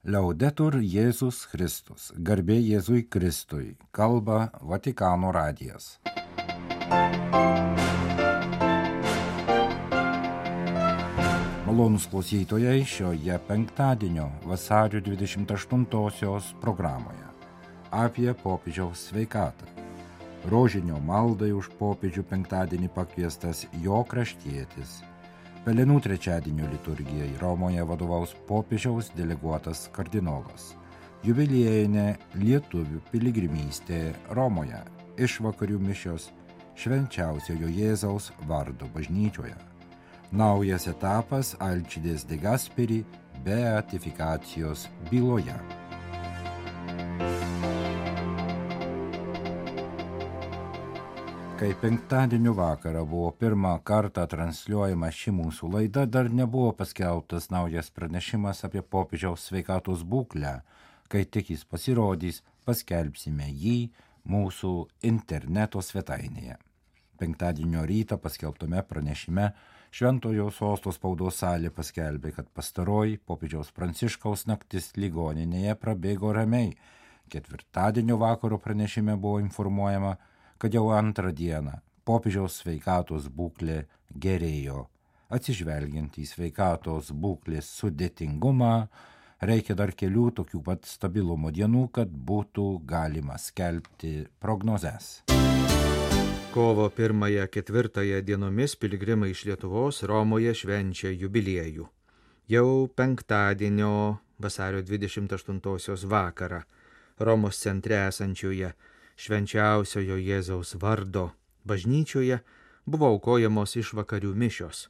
Liaudetur Jėzus Kristus, garbė Jėzui Kristui, kalba Vatikano radijas. Malonūs klausytojai šioje penktadienio vasario 28-osios programoje apie popiežiaus sveikatą. Rožinio maldai už popiežių penktadienį pakviestas jo kraštietis. Pelenų trečiadienio liturgijai Romoje vadovaus popiežiaus deleguotas kardinolas. Jubiliejinė lietuvių piligrimystė Romoje, išvakarių mišios Švenčiausiojo Jėzaus vardo bažnyčioje. Naujas etapas Alčides de Gasperi beatifikacijos byloje. Kai penktadienio vakarą buvo pirmą kartą transliuojama ši mūsų laida, dar nebuvo paskelbtas naujas pranešimas apie popiežiaus sveikatos būklę. Kai tik jis pasirodys, paskelbsime jį mūsų interneto svetainėje. Penktadienio rytą paskelbtame pranešime Šventojo Sosto spaudos salė paskelbė, kad pastaroji popiežiaus Pranciškaus naktis ligoninėje prabėgo ramiai. Ketvirtadienio vakaro pranešime buvo informuojama, kad jau antrą dieną popiežiaus sveikatos būklė gerėjo. Atsižvelgiant į sveikatos būklės sudėtingumą, reikia dar kelių tokių pat stabilumo dienų, kad būtų galima skelbti prognozes. Kovo 1-4 dienomis piligrimai iš Lietuvos Romoje švenčia jubiliejų. Jau penktadienio vasario 28 vakarą Romos centre esančioje Švenčiausiojo Jėzaus vardo bažnyčioje buvo aukojamos išvakarių mišios.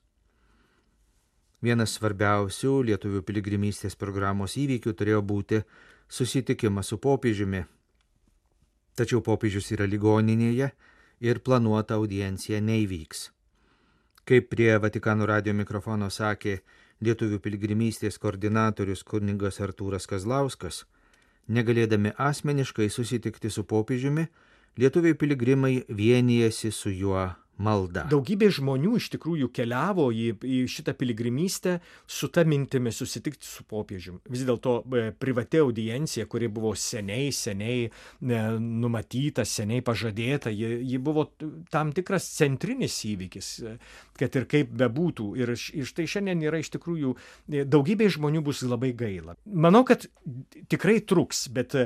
Vienas svarbiausių lietuvių piligrimystės programos įvykių turėjo būti susitikimas su popiežiumi. Tačiau popiežius yra ligoninėje ir planuota audiencija neįvyks. Kaip prie Vatikano radijo mikrofono sakė lietuvių piligrimystės koordinatorius kunigas Artūras Kazlauskas, negalėdami asmeniškai susitikti su popiežiumi, lietuviai piligrimai vienijasi su juo malda. Daugybė žmonių iš tikrųjų keliavo į šitą piligrimystę su ta mintimi susitikti su popiežiumi. Vis dėlto privati audiencija, kuri buvo seniai numatyta, seniai pažadėta, ji buvo tam tikras centrinis įvykis, kad ir kaip bebūtų. Ir štai šiandien yra iš tikrųjų daugybė žmonių bus labai gaila. Manau, kad tikrai truks, bet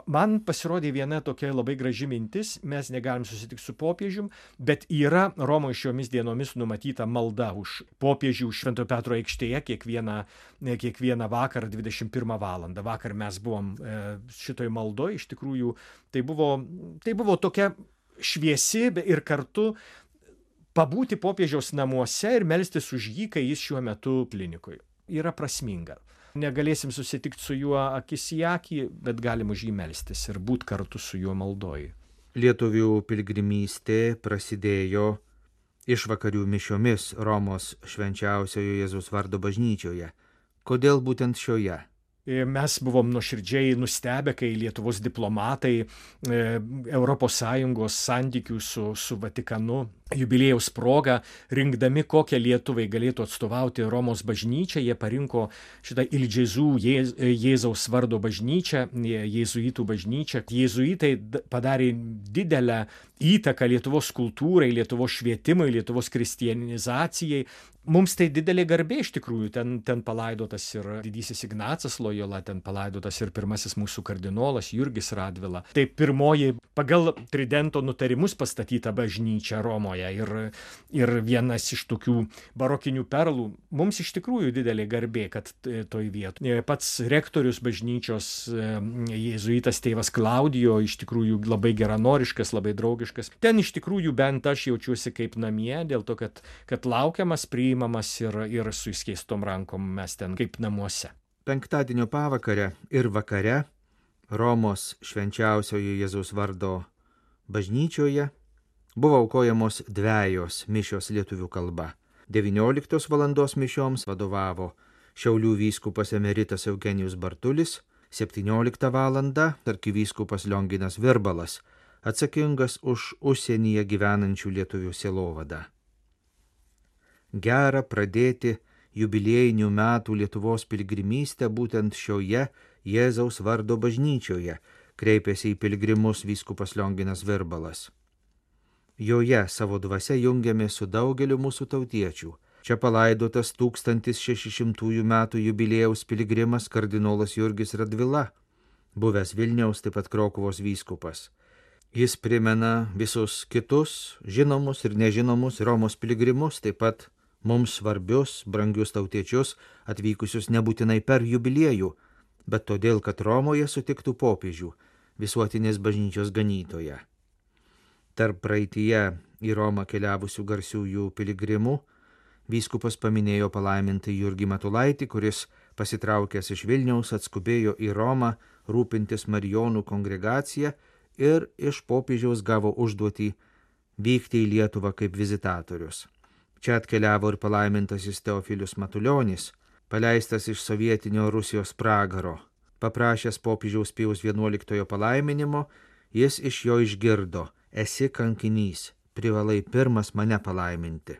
man pasirodė viena tokia labai graži mintis, mes negalim susitikti su popiežiumi, bet yra Romoje šiomis dienomis numatyta malda už popiežių Švento Petro aikštėje kiekvieną vakarą 21 valandą. Vakar mes buvom šitoj maldoj, iš tikrųjų tai buvo tokia šviesi ir kartu pabūti popiežiaus namuose ir melstis už jį, kai jis šiuo metu klinikoje. Yra prasminga. Negalėsim susitikti su juo akis į akį, bet galim už jį melstis ir būti kartu su juo maldoj. Lietuvių piligrimystė prasidėjo išvakarių mišiomis Romos Švenčiausiojo Jėzaus vardo bažnyčioje. Kodėl būtent šioje? Mes buvom nuoširdžiai nustebę, kai Lietuvos diplomatai ES santykių su Vatikanu jubiliejaus proga, rinkdami kokią Lietuvai galėtų atstovauti Romos bažnyčią, jie parinko šitą Il Gesù Jėzaus vardo bažnyčią, jėzuitų bažnyčią. Jėzuitai padarė didelę įtaką Lietuvos kultūrai, Lietuvos švietimui, Lietuvos kristianizacijai. Mums tai didelė garbė iš tikrųjų. Ten palaidotas ir didysis Ignacas Lojola, ten palaidotas ir pirmasis mūsų kardinolas Jurgis Radvila. Tai pirmoji pagal Tridento nutarimus pastatyta bažnyčia Romoje. Ir vienas iš tokių barokinių perlų. Mums iš tikrųjų didelė garbė, kad toj vietoje. Pats rektorius bažnyčios jėzuitas tėvas Klaudijo iš tikrųjų labai geranoriškas, labai draugiškas. Ten iš tikrųjų bent aš jaučiuosi kaip namie, dėl to, kad laukiamas, priimamas ir su įskeistom rankom mes ten kaip namuose. Penktadienio pavakarę ir vakare Romos Švenčiausiojo Jėzaus vardo bažnyčioje buvo aukojamos dvejos mišios lietuvių kalba. 19 valandos mišioms vadovavo Šiaulių vyskupas emeritas Eugenijus Bartulis, 17 valandą arkivyskupas Lionginas Virbalas, atsakingas už užsienyje gyvenančių lietuvių sielovadą. Gera pradėti jubiliejinių metų Lietuvos piligrimystę būtent šioje Jėzaus vardo bažnyčioje, kreipėsi į piligrimus vyskupas Lionginas Virbalas. Joje savo dvasia jungiamės su daugeliu mūsų tautiečių. Čia palaidotas 1600 metų jubiliejaus piligrimas kardinolas Jurgis Radvila, buvęs Vilniaus, taip pat Krokuvos vyskupas. Jis primena visus kitus žinomus ir nežinomus Romos piligrimus, taip pat mums svarbius, brangius tautiečius, atvykusius nebūtinai per jubiliejų, bet todėl, kad Romoje sutiktų popiežių, visuotinės bažnyčios ganytoją. Tarp praeityje į Romą keliavusių garsiųjų piligrimų vyskupas paminėjo palaimintą Jurgį Matulaitį, kuris pasitraukęs iš Vilniaus atskubėjo į Romą rūpintis Marijonų kongregacija ir iš popiežiaus gavo užduotį vykti į Lietuvą kaip vizitatorius. Čia atkeliavo ir palaimintasis Teofilius Matulionis, paleistas iš sovietinio Rusijos pragaro. Paprašęs popiežiaus Pijaus XI palaiminimo, jis iš jo išgirdo: esi kankinys, privalai pirmas mane palaiminti.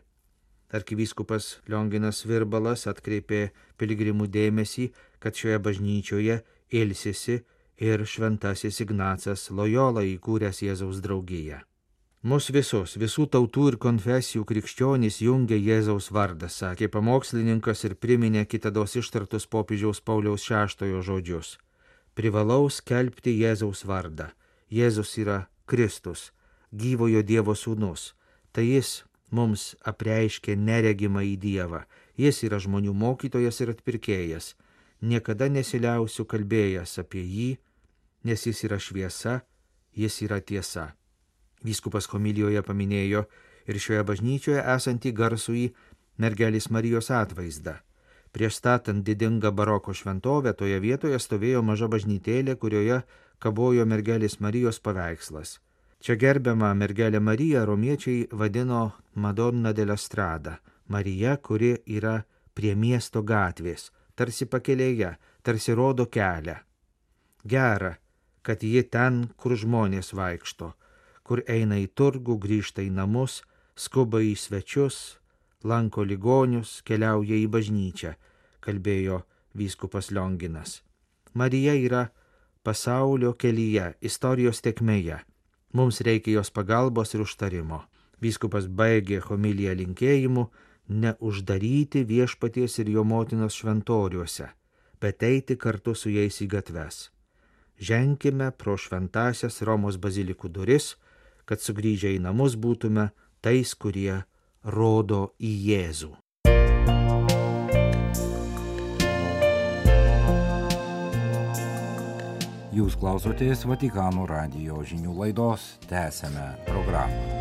Arkivyskupas Lionginas Virbalas atkreipė piligrimų dėmesį, kad šioje bažnyčioje ilsisi ir šventasis Ignacas Lojola, įkūręs Jėzaus draugiją. Mus visus, visų tautų ir konfesijų krikščionys jungia Jėzaus vardas, sakė pamokslininkas ir priminė kitados ištartus popiežiaus Pauliaus VI žodžius. Privalau skelbti Jėzaus vardą. Jėzus yra Kristus, gyvojo Dievo sūnus. Tai jis mums apreiškė neregimą į Dievą. Jis yra žmonių mokytojas ir atpirkėjas. Niekada nesiliausiu kalbėjęs apie jį, nes jis yra šviesa, jis yra tiesa. Vyskupas homilijoje paminėjo ir šioje bažnyčioje esantį garsųjį mergelės Marijos atvaizdą. Prieš statant didingą baroko šventovę toje vietoje stovėjo maža bažnytėlė, kurioje kabojo mergelės Marijos paveikslas. Čia gerbiamą mergelę Mariją romiečiai vadino Madonna della Strada, Marija, kuri yra prie miesto gatvės, tarsi pakelėje, tarsi rodo kelią. Gera, kad ji ten, kur žmonės vaikšto, kur eina į turgų, grįžta į namus, skuba į svečius, lanko ligonius, keliauja į bažnyčią, kalbėjo vyskupas Lionginas. Marija yra pasaulio kelyje, istorijos tėkmėje. Mums reikia jos pagalbos ir užtarimo. Vyskupas baigė homiliją linkėjimu neuždaryti viešpaties ir jo motinos šventoriuose, bet eiti kartu su jais į gatves. Ženkime pro šventasias Romos bazilikų duris, kad sugrįžę į namus būtume tais, kurie rodo į Jėzų. Jūs klausotės Vatikano radijo žinių laidos, tęsiame programą.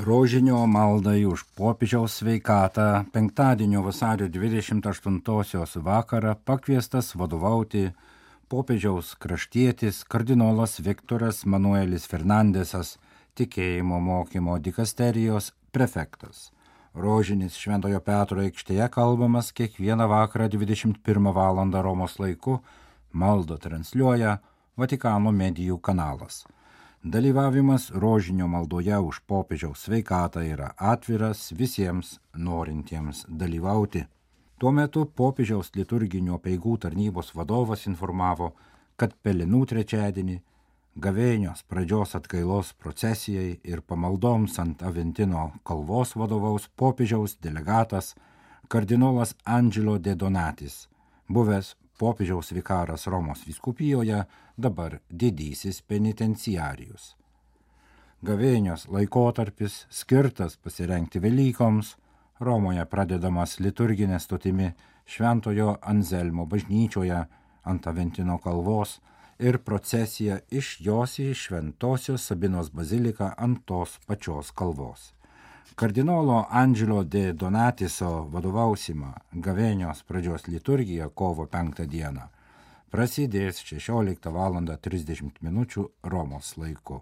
Rožinio maldai už popiežiaus sveikatą penktadienio vasario 28 vakarą pakviestas vadovauti popiežiaus kraštietis kardinolas Viktoras Manuelis Fernandesas, tikėjimo mokymo dikasterijos prefektas. Rožinis Šventojo Petro aikštėje kalbamas kiekvieną vakarą 21 val. Romos laiku, maldą transliuoja Vatikano medijų kanalas. Dalyvavimas rožinio maldoje už popiežiaus sveikatą yra atviras visiems norintiems dalyvauti. Tuo metu popiežiaus liturginių apeigų tarnybos vadovas informavo, kad Pelenų trečiadienį gavėnios pradžios atgailos procesijai ir pamaldoms ant Aventino kalvos vadovaus popiežiaus delegatas kardinolas Angelo de Donatis, buvęs popiežiaus vikaras Romos vyskupijoje, dabar didysis penitenciarijus. Gavėnios laikotarpis skirtas pasirengti Velykoms, Romoje pradedamas liturginė stotimi Šventojo Anzelmo bažnyčioje ant Aventino kalvos ir procesija iš jos į Šventosios Sabinos baziliką ant tos pačios kalvos. Kardinolo Angelo de Donatiso vadovausimą gavėnios pradžios liturgija kovo 5 dieną prasidės 16 val. 30 minučių Romos laiku.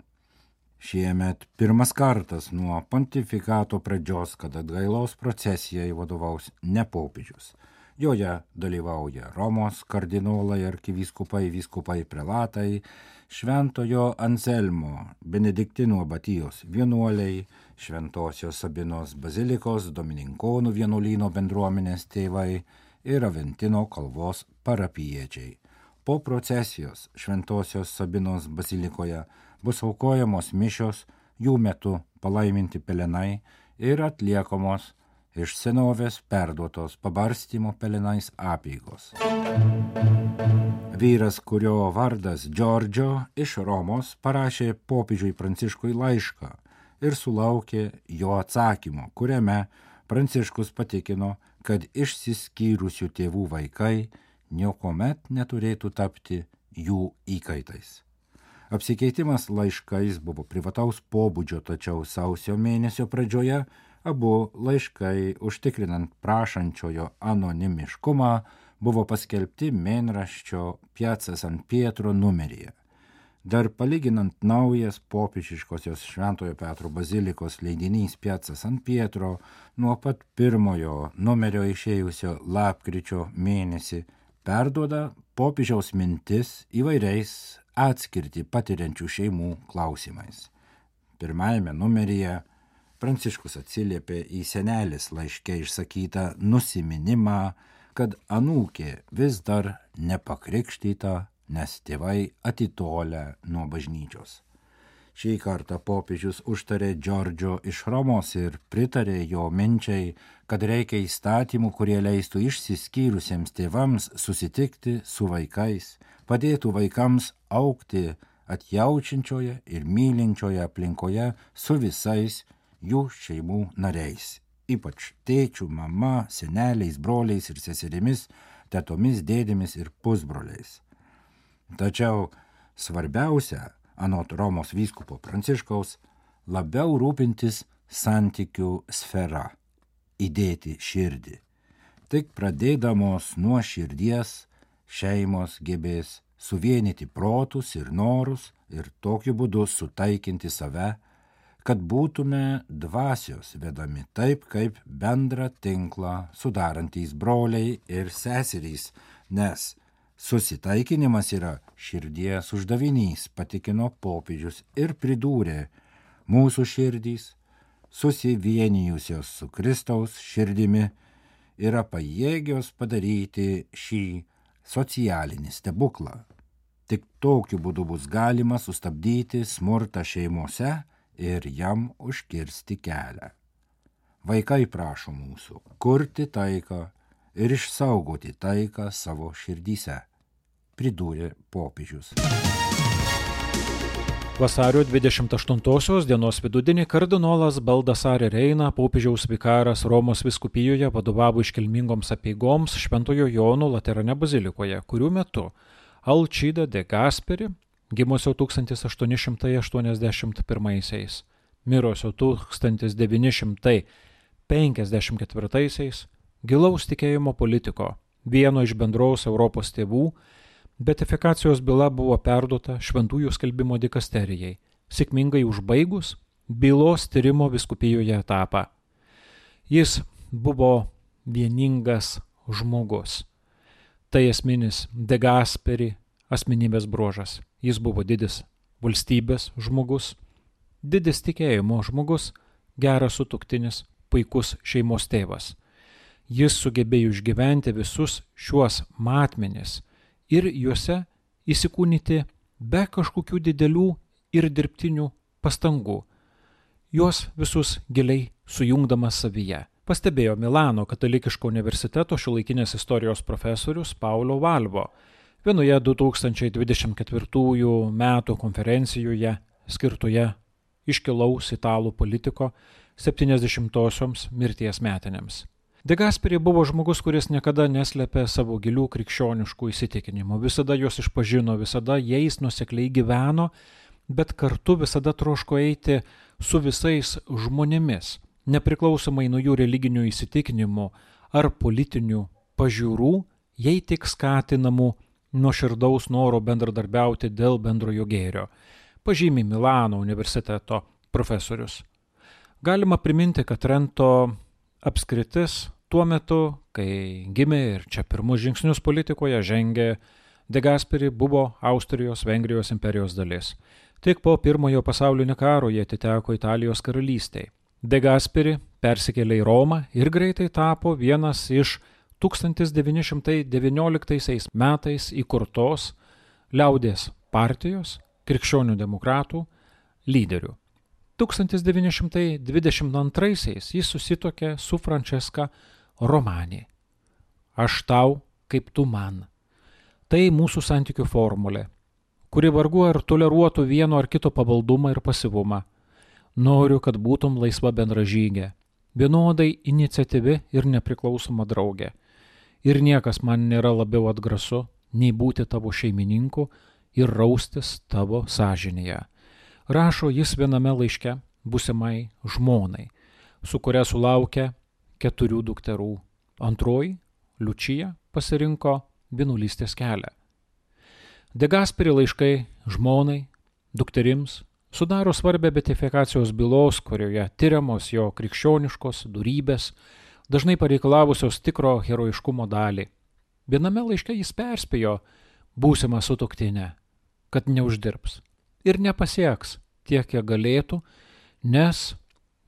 Šiemet pirmas kartas nuo pontifikato pradžios, kad atgailos procesijai vadovaus ne popiežius. Joje dalyvauja Romos kardinolai, arkivyskupai, vyskupai, prelatai, Šventojo Anselmo, Benediktino abatijos vienuoliai, Šventosios Sabinos bazilikos, Domininkonų vienuolyno bendruomenės tėvai ir Aventino kalvos parapijiečiai. Po procesijos Šventosios Sabinos bazilikoje bus aukojamos mišios, jų metu palaiminti pelenai ir atliekamos iš senovės perduotos pabarstymo pelenais apeigos. Vyras, kurio vardas Džordžio, iš Romos parašė popiežiui Pranciškui laišką ir sulaukė jo atsakymo, kuriame Pranciškus patikino, kad išsiskyrusių tėvų vaikai niekuomet neturėtų tapti jų įkaitais. Apsikeitimas laiškais buvo privataus pobūdžio, tačiau sausio mėnesio pradžioje abu laiškai, užtikrinant prašančiojo anonimiškumą, buvo paskelbti mėnraščio Piazza San Pietro numeryje. Dar palyginant naujas popiežiškosios Šventojo Petro bazilikos leidinys Piazza San Pietro nuo pat pirmojo numerio išėjusio lapkričio mėnesį perduoda popiežiaus mintis įvairiais atskirti patiriančių šeimų klausimais. Pirmajame numeryje Pranciškus atsiliepė į senelės laiške išsakytą nusiminimą, kad anūkė vis dar nepakrikštyta, nes tėvai atitolę nuo bažnyčios. Šį kartą popiežius užtarė Džordžio iš Romos ir pritarė jo minčiai, kad reikia įstatymų, kurie leistų išsiskyrusiems tėvams susitikti su vaikais, padėtų vaikams augti atjaučiančioje ir mylinčioje aplinkoje su visais jų šeimų nariais, ypač tėčių, mama, seneliais, broliais ir seserimis, tetomis, dėdėmis ir pusbroliais. Tačiau svarbiausia, anot Romos vyskupo Pranciškaus, labiau rūpintis santykių sfera, įdėti širdį. Tik pradėdamos nuo širdies šeimos gebės suvienyti protus ir norus ir tokiu būdu sutaikinti save, kad būtume dvasios vedami taip, kaip bendrą tinklą sudarantys broliai ir seserys, nes susitaikinimas yra širdies uždavinys, patikino popiežius ir pridūrė, mūsų širdys, susivienijusios su Kristaus širdimi, yra pajėgios padaryti šį socialinį stebuklą. Tik tokiu būdu bus galima sustabdyti smurtą šeimose ir jam užkirsti kelią. Vaikai prašo mūsų kurti taiką ir išsaugoti taiką savo širdyse, pridūrė popiežius. Vasario 28 dienos vidudienį kardinolas Baldassare Reina, popiežiaus vikaras Romos vyskupijoje, vadovavo iškilmingoms apeigoms Šventojo Jono Laterane bazilikoje, kurių metu Alcida de Gasperi, gimusio 1881, mirusio 1954, gilaus tikėjimo politiko, vieno iš bendros Europos tėvų, beatifikacijos byla buvo perduota Šventųjų skelbimo dikasterijai, sėkmingai užbaigus bylos tyrimo vyskupijoje etapą. Jis buvo vieningas žmogus. Tai esminis de Gasperi asmenybės bruožas. Jis buvo didis valstybės žmogus, didis tikėjimo žmogus, geras sutuoktinis, puikus šeimos tėvas. Jis sugebėjo išgyventi visus šiuos matmenis ir juose įsikūnyti be kažkokių didelių ir dirbtinių pastangų, juos visus giliai sujungdamas savyje. Pastebėjo Milano katalikiško universiteto šiuolaikinės istorijos profesorius Paulo Valvo vienoje 2024 metų konferencijoje skirtoje iškilaus italų politiko 70-osioms mirties metinėms. De Gasperi buvo žmogus, kuris niekada neslėpė savo gilių krikščioniškų įsitikinimų, visada juos išpažino, visada jais nuosekliai gyveno, bet kartu visada troško eiti su visais žmonėmis, nepriklausomai nuo jų religinių įsitikinimų ar politinių pažiūrų, jei tik skatinamų nuoširdaus noro bendradarbiauti dėl bendrojo gėrio, pažymi Milano universiteto profesorius. Galima priminti, kad Trento apskritis tuo metu, kai gimė ir čia pirmus žingsnius politikoje žengė, De Gasperi buvo Austrijos-Vengrijos imperijos dalis. Tik po pirmojo pasaulinio karo jie atiteko Italijos karalystei. De Gasperi persikėlė į Romą ir greitai tapo vienas iš 1919 metais įkurtos Liaudies partijos krikščionių demokratų lyderių. 1922 jis susituokė su Francesca Romani. Aš tau, kaip tu man. Tai mūsų santykių formulė, kuri vargu ar toleruotų vieno ar kito pavaldumą ir pasyvumą. Noriu, kad būtum laisva bendražygė, vienodai iniciatyvi ir nepriklausoma draugė. Ir niekas man nėra labiau atgrasu, nei būti tavo šeimininku ir raustis tavo sąžinėje. Rašo jis viename laiške būsimai žmonai, su kuria sulaukė 4 dukterų. Antroji, Liučija, pasirinko vienuolystės kelią. De Gasperi laiškai žmonai, dukterims sudaro svarbę beatifikacijos bylos, kurioje tyriamos jo krikščioniškos dorybės, dažnai pareikalavusios tikro herojiškumo dalį. Viename laiške jis perspėjo būsimą sutuoktinę, kad neuždirbs ir nepasieks tiek, kiek galėtų, nes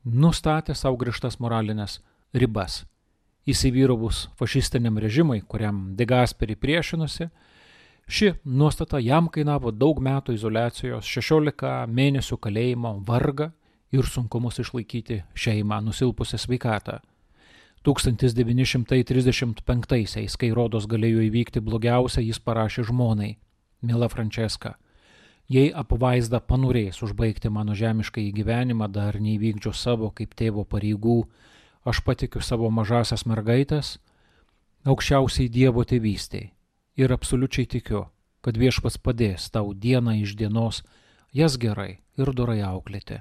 nustatė savo griežtas moralinės ribas. Įsivyravus fašistiniam režimui, kuriam De Gasperi priešinosi, ši nuostata jam kainavo daug metų izoliacijos, 16 mėnesių kalėjimo, vargą ir sunkumus išlaikyti šeimą, nusilpusią sveikatą. 1935-aisiais, kai rodos galėjo įvykti blogiausia, jis parašė žmonai: Miela Franceska, jei apvaizda panorės užbaigti mano žemišką gyvenimą, dar neįvykdžiu savo kaip tėvo pareigų, aš patikiu savo mažasias mergaitės aukščiausiai Dievo tėvystei ir absoliučiai tikiu, kad Viešpats padės tau dieną iš dienos jas gerai ir dorai auklėti.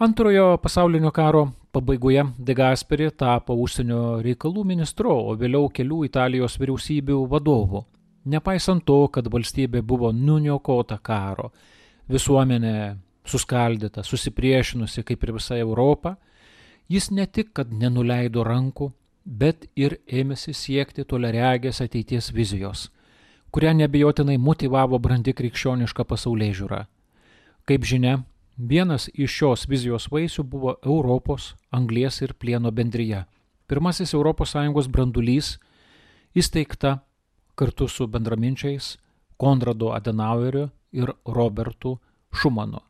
Antrojo pasaulinio karo pabaigoje De Gasperi tapo užsienio reikalų ministru, o vėliau kelių Italijos vyriausybių vadovu. Nepaisant to, kad valstybė buvo nuniokota karo, visuomenė suskaldyta, susipriešinusi kaip ir visa Europa, jis ne tik, kad nenuleido rankų, bet ir ėmėsi siekti toliaregės ateities vizijos, kurią neabejotinai motyvavo brandi krikščioniška pasaulėžiūra. Kaip žinia, vienas iš šios vizijos vaisių buvo Europos anglies ir plieno bendrija. Pirmasis ES brandulys įsteigta kartu su bendraminčiais Konradu Adenaueriu ir Robertu Šumanu,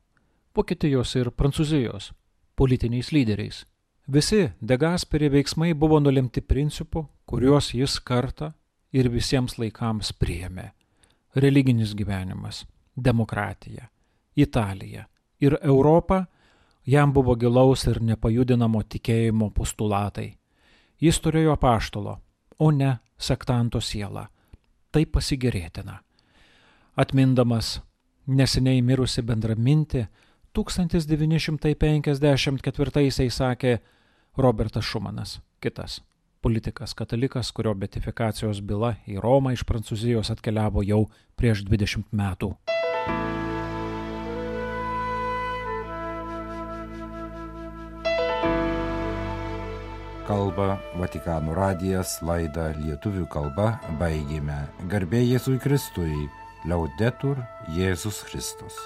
Vokietijos ir Prancūzijos politiniais lyderiais. Visi De Gasperi veiksmai buvo nulemti principų, kuriuos jis kartą ir visiems laikams priėmė. Religinis gyvenimas, demokratija, Italija ir Europa jam buvo gilaus ir nepajudinamo tikėjimo postulatai. Jis turėjo apaštalo, o ne sektanto sielą. Tai pasigėrėtina. Atmindamas neseniai mirusi bendramintį, 1954 sakė Robertas Šumanas, kitas politikas katalikas, kurio beatifikacijos byla į Romą iš Prancūzijos atkeliavo jau prieš 20 metų. Kalba Vatikano radijas, laidą lietuvių kalba baigėme. Garbė Jėzui Kristui, Laudetur Jėzus Kristus.